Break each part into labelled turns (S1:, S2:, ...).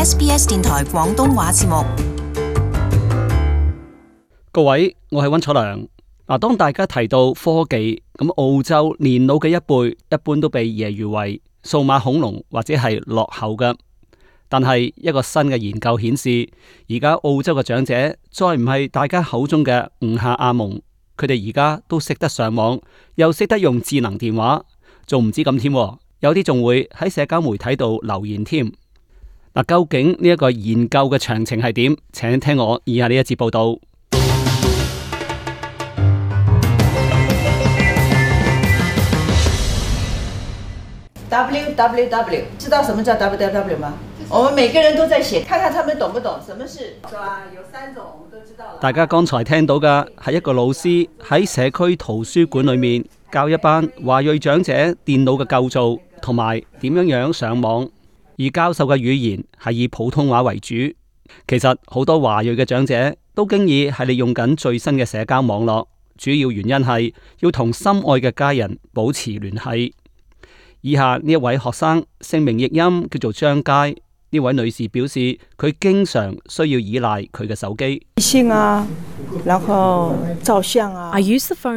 S1: SBS 電台廣東話節目。
S2: 各位，我係溫楚良。當大家提到科技，咁澳洲年老嘅一輩一般都被揶揄為數碼恐龍或者係落後嘅。但係一個新嘅研究顯示，而家澳洲嘅長者再唔係大家口中嘅吳下阿蒙，佢哋而家都識得上網，又識得用智能電話，仲唔止咁添，有啲仲會喺社交媒體度留言添。究竟呢一個研究嘅詳情係點？請聽我以下呢一節報道。
S3: www 知道什麼叫 www 嗎？我們每個人都在寫，看看他們懂不懂什麼是，是吧？有3種，我們都知道了。
S2: 大家剛才聽到嘅係一個老師喺社區圖書館裏面教一班華裔長者電腦嘅構造同埋點樣上網，而教授嘅語言係以普通話為主。其實好多華裔嘅長者都經已係利用緊最新嘅社交網絡，主要原因係要同心愛嘅家人保持聯繫。以下呢一位學生姓名譯音叫做張佳，呢位女士表示佢經常需要依賴佢嘅手機。
S4: 微信啊，然後照相啊。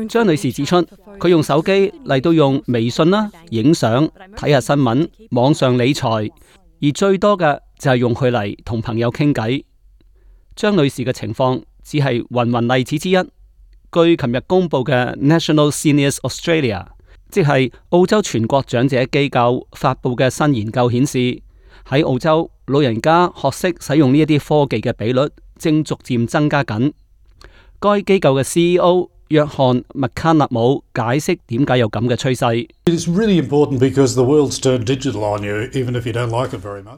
S2: 張女士指出，佢用手機嚟到用微信啦、影相、睇下新聞、網上理財，而最多嘅就係用佢嚟同朋友傾偈。張女士嘅情況只係芸芸例子之一。據琴日公布嘅 National Seniors Australia，即係澳洲全國長者機構發佈嘅新研究顯示，喺澳洲老人家學識使用呢一啲科技嘅比率正逐漸增加緊。該機構嘅 CEO 約翰麥卡納姆解釋點解有咁嘅趨勢。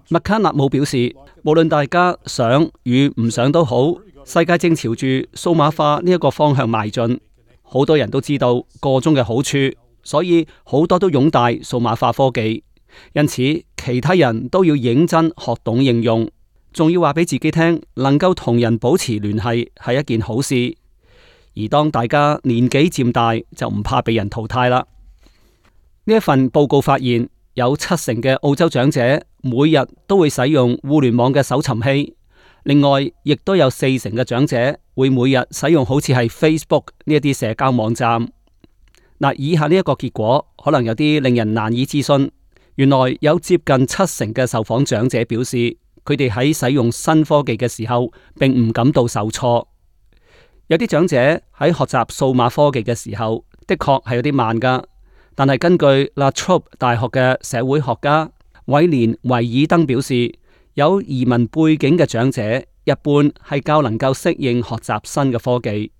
S2: 麥卡納姆表示，無論大家想與唔想都好，世界正朝住數碼化呢一個方向邁進。好多人都知道個中嘅好處，所以好多都擁戴數碼化科技，因此其他人都要認真學懂應用，仲要話俾自己聽，能夠同人保持聯繫係一件好事。而當大家年紀漸大，就唔怕被人淘汰啦。呢一份報告發現，有70%嘅澳洲長者每日都會使用互聯網嘅搜尋器，另外亦都有40%嘅長者會每日使用好似係 Facebook 呢一啲社交網站。以下呢一個結果可能有啲令人難以置信。原來有接近70%嘅受訪長者表示，佢哋喺使用新科技嘅時候，並唔感到受挫。有啲長者喺學習數碼科技嘅時候，的確係有啲慢噶。但係根據 La Trobe 大學嘅社會學家韋連維爾登表示，有移民背景嘅長者一般係較能夠適應學習新嘅科技。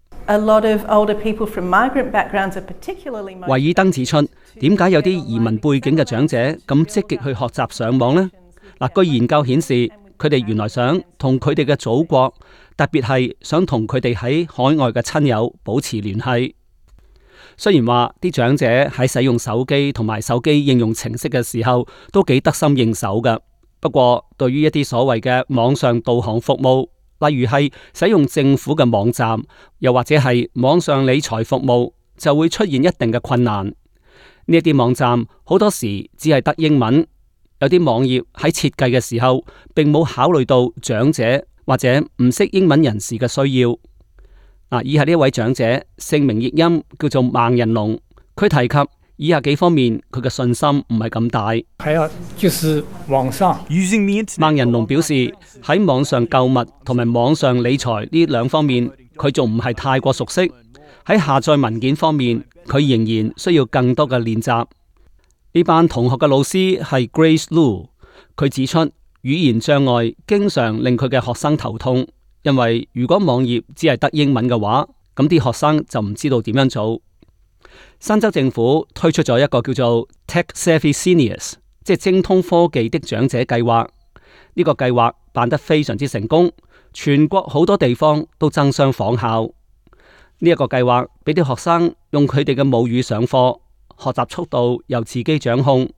S2: 維爾登指出，點解有啲移民背景嘅長者咁積極去學習上網呢？據研究顯示，佢哋原來想同佢哋嘅祖國，特別係想同佢哋喺海外嘅親友保持聯繫。雖然話啲長者喺使用手機同埋手機應用程式嘅時候都幾得心應手㗎，不過對於一啲所謂嘅網上導航服務，例如係使用政府嘅網站，又或者係網上理財服務，就會出現一定嘅困難。呢一啲網站好多時只係得英文，有啲網頁喺設計嘅時候，並冇考慮到長者或者唔識英文人士嘅需要。以下呢一位長者姓名譯音叫做孟仁龍，佢提及以下幾方面佢嘅信心唔係咁大。
S5: 還有就是網上，
S2: 孟仁龍表示喺網上購物同埋網上理財呢兩方面，佢仲唔係太過熟悉。喺下載文件方面，佢仍然需要更多嘅練習。呢班同學嘅老師係 Grace Lu， 佢指出語言障礙經常令佢嘅學生頭痛，因為如果網頁只係得英文嘅話，咁啲學生就唔知道點樣做。新州政府推出咗一個叫做 Tech Savvy Seniors， 即係精通科技的長者計劃。呢個計劃辦得非常之成功，全國好多地方都爭相仿效。呢一個計劃俾啲學生用佢哋嘅母語上課，學習速度由自己掌控。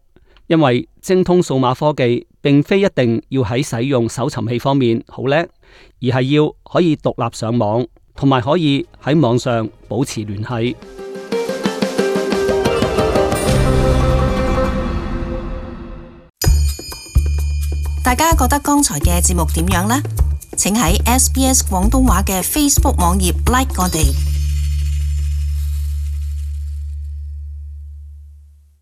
S2: 因為精通數碼科技並非一定要喺使用搜尋器方面好叻，而係要可以獨立上網，同埋可以喺網上保持聯繫。
S1: 大家覺得剛才嘅節目點樣呢？請喺SBS 廣東話嘅 Facebook 網頁 like 我哋。